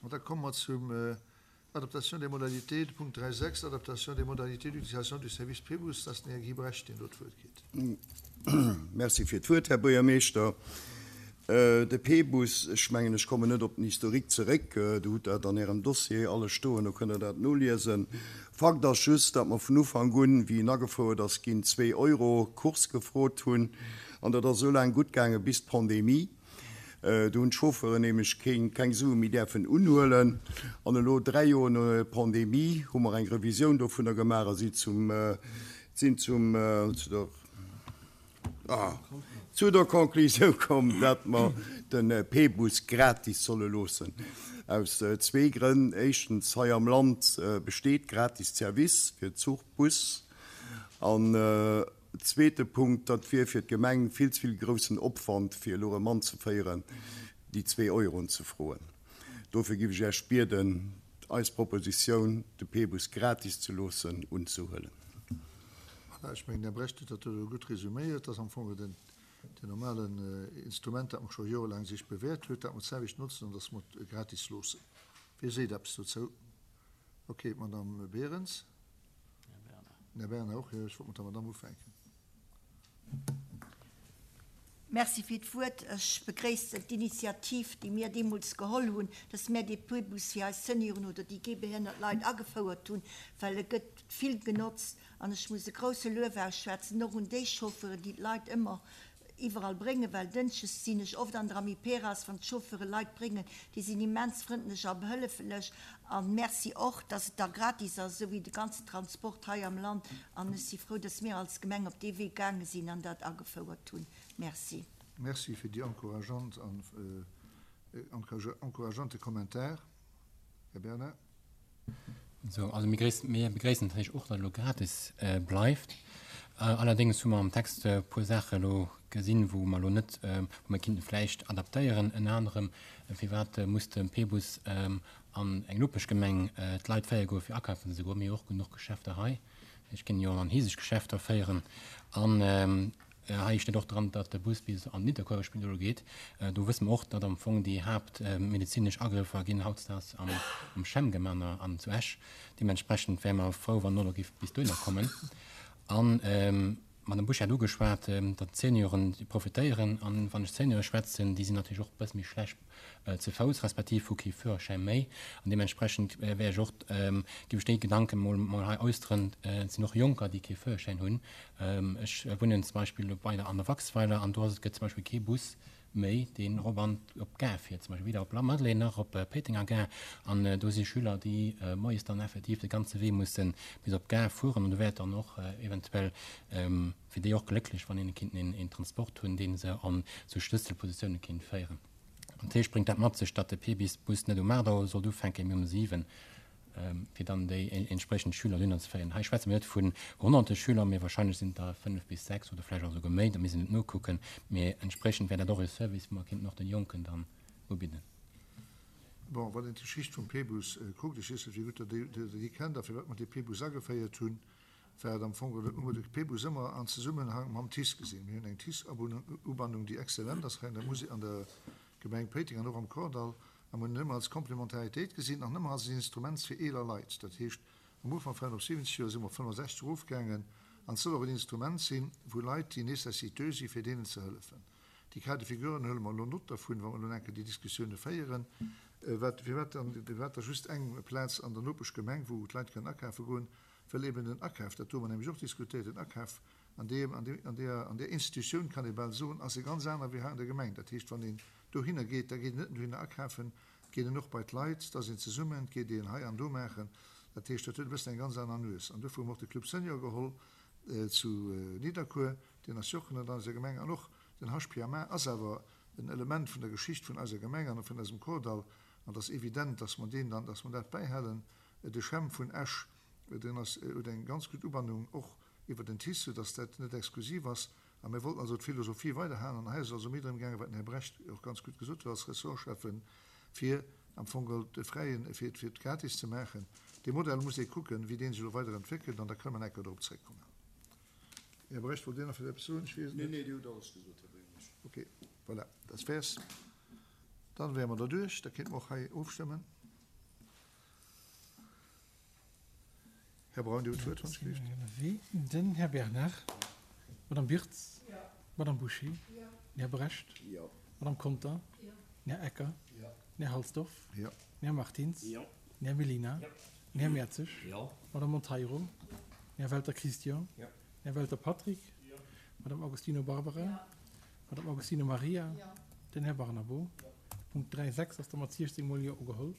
An da komme mer zum Adaptation des modalités, de Punkt 3.6, Adaptation des modalités d'utilisation du service Pébus. Dat ass den Här Guy Brecht, deen do d'Wuert kritt. Merci fir d'Wuert, Här Buergermeeschter. De P-Bus, ech mengen, ech kommen net op den Historique zeréck, Dir hutt dat an Ärem Dossier alles stoen, do kënnt Der dat noliesen. Fakt ass just, datt mer vun Ufank un, wéi en agefouert ass ginn, zwee Euro Course gefrot hunn. An dat ass esou laang gutt gaange bis d'Pandemie. Do hunn d'Chauffeuren nämlech keng Sue méi däerfen unhuelen. An elo, dräi Joer no der Pandemie, hu mer eng Revisioun dovunner gemaach a si zum, sinn zum, zu der, zu der Conclusioun komm, datt mer de P-Bus gratis solle loossen. Aus zwee Grënn. Éischtens, hei am Land besteet gratis Service fir Zuch, Bus. An zweete Punkt, dat wier fir d'Gemeng vill ze vill groussen Opwand, fir elo erëm anzeféieren, déi zwee Euroen ze froen. Dofir giff ech Iech bieden, eis Propositioun, de P-Bus gratis ze loossen, unzehuelen. Voilà, ech mengen, den Här Brecht huet dat do elo gutt resuméiert. Dat ass am Fong den normalen Instrument, dat mer scho jorelaang sech bewäert huet, dat mer d'selwecht notzen an dass mer et gratis loossen. Wie seet eppes dozou? Okay, d'Madame Berens. Den Här Bernard och, jo. Ech wollt mat der Madame ufänken. Merci fir d'Wuert. Ech begréissen d'Initiativ, déi mir deemools geholl hunn, dass mär dee P-Bus fir eis Senioren oder déi gehbehënnert Leit agefouert hunn, well e gëtt vill genotzt. An ech muss e grouse Luef ausschwätzen och un déi Chauffeuren, déi d'Leit ëmmer iwwerall bréngen, well dënschdes sinn ech oft an der Amiperas, wann d'Chauffeure Leit bréngen, déi sinn immens frëndlech a behëlleflech. A Merci och, dass et da gratis ass, esou wéi de ganzen Transport hei am Land. An ech si frou, dass mir als Gemeng op dee Wee gaange sinn an dat agefouert hunn. Merci. Merci fir déi encourageant an encourageante Kommentar, Här Bernard. Sou, also mir gréissen, mir begréissen natierlech och, datt elo gratis bleift. Allerdéngs hu mer am Text e puer Saache elo gesinn, wou mer elo net, wou mer kinnten vläicht adaptéieren. Ënner anerem, firwat muss de P-Bus an eng Nopeschgemeng d'Leit féiere goe fir akafen ze goen? Mir hu och genuch Geschäfter hei. Ech kéint jo och an hieseg Geschäfter féieren. An hei steet och dran, datt de Bus bis an d'Nidderkuerer Spidol geet. Do wësse mer och, datt am Fong déi haaptmedezinesch Agrëffer ginn hautdesdaags am CHEM gemaach an zu Esch. Deementsprechend wäre mer frou, wann en och géif bis dohinner kommen. An d'Madame Busch hat ugeschwat, datt d'Senioren profitéieren. An wann ech d'Seniore schwätzen, déi sinn natierlech och e bësse méi schlecht ze Fouss, respektiv hu kee Führerschäin méi. An deementsprechend wär ech och, géif ech déi Gedanken mol mol hei äusseren, et sinn och Jonker, déi kee Führerschäin hunn. Ech wunnen zum Beispill bei der an der Waxweiler an do ass et, gëtt zum Beispill kee Bus méi, deen erop an op d'Gare fiert, zum Beispill weder op Lamadelaine nach op Péitenger Gare. An do si Schüler, déi moies dann effektiv de ganze Wee musse bis op d'Gare fueren. An do wär et dann och eventuell fir déi och glécklech, wann een kéint een Transport hunn, dee se an esou Schlësselpositioune kéint féieren. Natierlech bréngt dat mat sech, datt de P-Bis-Bus net um 8 Auer sollt ufänken, mee um 7, fir dann déi entspriechend Schüler dohinner ze féieren. Hei schwätze mir net vun honnerte Schüler, mee wahrscheinlech sinn et der 5 bis 6 oder vläicht och esouguer méi, da misst een et nokucken. Mee entspriechend wär dat och e Service, wou mer kéinten och den Jonken dann ubidden. Bon, wann een d'Geschicht vum P-Bus kuckt, ech weess net, wéi gutt Der déi kennt a firwat mer dee P-Bus ageféiert hunn, war et am Fong geholl, hu mer de P-Bus ëmmer an Zesummenhang mam TICE gesinn. Mir hunn eng TICE-Ubannung, déi exzellent ass hei an der Musel, an der Gemeng Péiteng an och am Kordall, a mer hunn en ëmmer als Komplementaritéit gesinn an ëmmer als en Instrument fir eeler Leit. Dat heescht, am Ufank waren op 70 Joer, si mer op 65 erofgaangen, an et soll och en Instrument sinn, wou Leit, déi nécessiteux sinn, fir deenen ze hëllefen. Déi Cas de figuren huele mer elo Nott dervun, wa mer elo enke déi Diskussioune féieren. Wat, firwat dann, firwat da just eng Plaz an der Nopeschgemeng, wou d'Leit kënnen akafe goen? Well eben den Akaf, dat hu mer nämlech och diskutéiert, den Akaf an deem, an deem, an deer, an där Institutioun, kann ee bal soen, ass e ganz aner wéi hei an der Gemeng. Dat heescht, wann een dohinner geet, da geet een net nëmmen dohinner akafen, et geet een och bei d'Leit, da ass een zesummen, et geet een hei an do maachen. Dat heescht, dat huet e bëssen eng ganz aner Nues. An dofir hu mer och de Club Senior geholl zu Nidderkuer, deen ass jo och ënnert eiser Gemeng. An och den HPMA ass awer en Element vun der Geschicht vun eiser Gemeng an vun eisem Kordall. An et ass evident, dass mer deen dann, dass mer dat bäihalen. De CHEM vun Esch, deen ass, huet eng ganz gutt Ubannung och iwwer den TICE, soudass dat net exklusiv ass. A mir wollten also d'Philosophie weiderhalen. An hei ass et also méi drëm gaangen, wat den Här Brecht och ganz gutt gesot huet als Ressortschäffen, fir am Fong geholl de fräien, fir et, fir et gratis ze maachen. Dee Modell muss ee kucken, wéi dee sech elo weider entwéckelt, an da kënne mer nach eng Kéier dorop zréckkommen. Här Brecht, wollt Dir nach vläicht eppes soen? Ech weess et net. Nee, nee, Dir hutt alles gesot, Här Buergermeeschter. Okay, voilà, dat wäer's. Dann wäre mer derduerch. Da kéinte mer och hei ofstëmmen. Här Braun, Dir hutt d'Wuert, wann ech gelift. Den Här Bernard. D'Madame Birtz. D'Madame Bouché. Den Här Brecht. D'Madame Conter. Den Här Ecker. Den Här Halsdorf. Den Här Martins. Den Här Mellina. Den Här Mertzig. D'Madame Monteiro. Den Här Welter Christian. Den Här Welter Patrick. D'Madame Agostino Barbara. D'Madame Agostino Maria. Den Här Barnabo. Punkt 3, 6 ass da mat 16 mol Jo ugeholl.